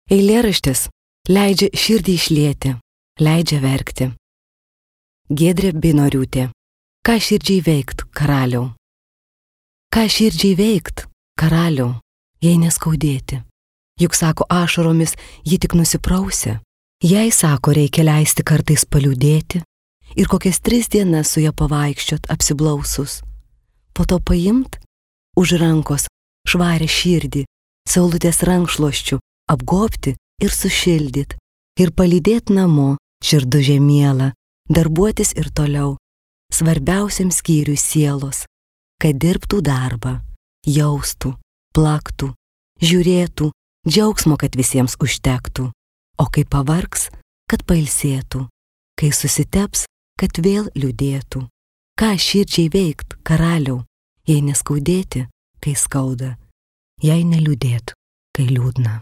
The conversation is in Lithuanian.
Eilėraštis leidžia širdį išlieti, leidžia verkti. Giedrė Beinoriūtė. Ką širdžiai veikt, karaliau? Ką širdžiai veikt, karaliau, jei neskaudėti? Juk sako ašaromis ji tik nusiprausia. Jei sako reikia leisti kartais paliūdėti ir kokias 3 dienas su ja pavaikščiot apsiblausus. Po to paimt už rankos švarę širdį, saulutės rankšluosčių apgobti ir sušildyt ir palydėt namo širdužė miela, darbuotis ir toliau, svarbiausiam skyriui sielos, kad dirbtų darbą, jaustų, plaktų, žiūrėtų, džiaugsmo, kad visiems užtektų, o kai pavargs, kad pailsėtų, kai susiteps, kad vėl liūdėtų. Ką širdžiai veikt, karaliau, jei neskaudėti, kai skauda, jei neliūdėt, kai liūdna.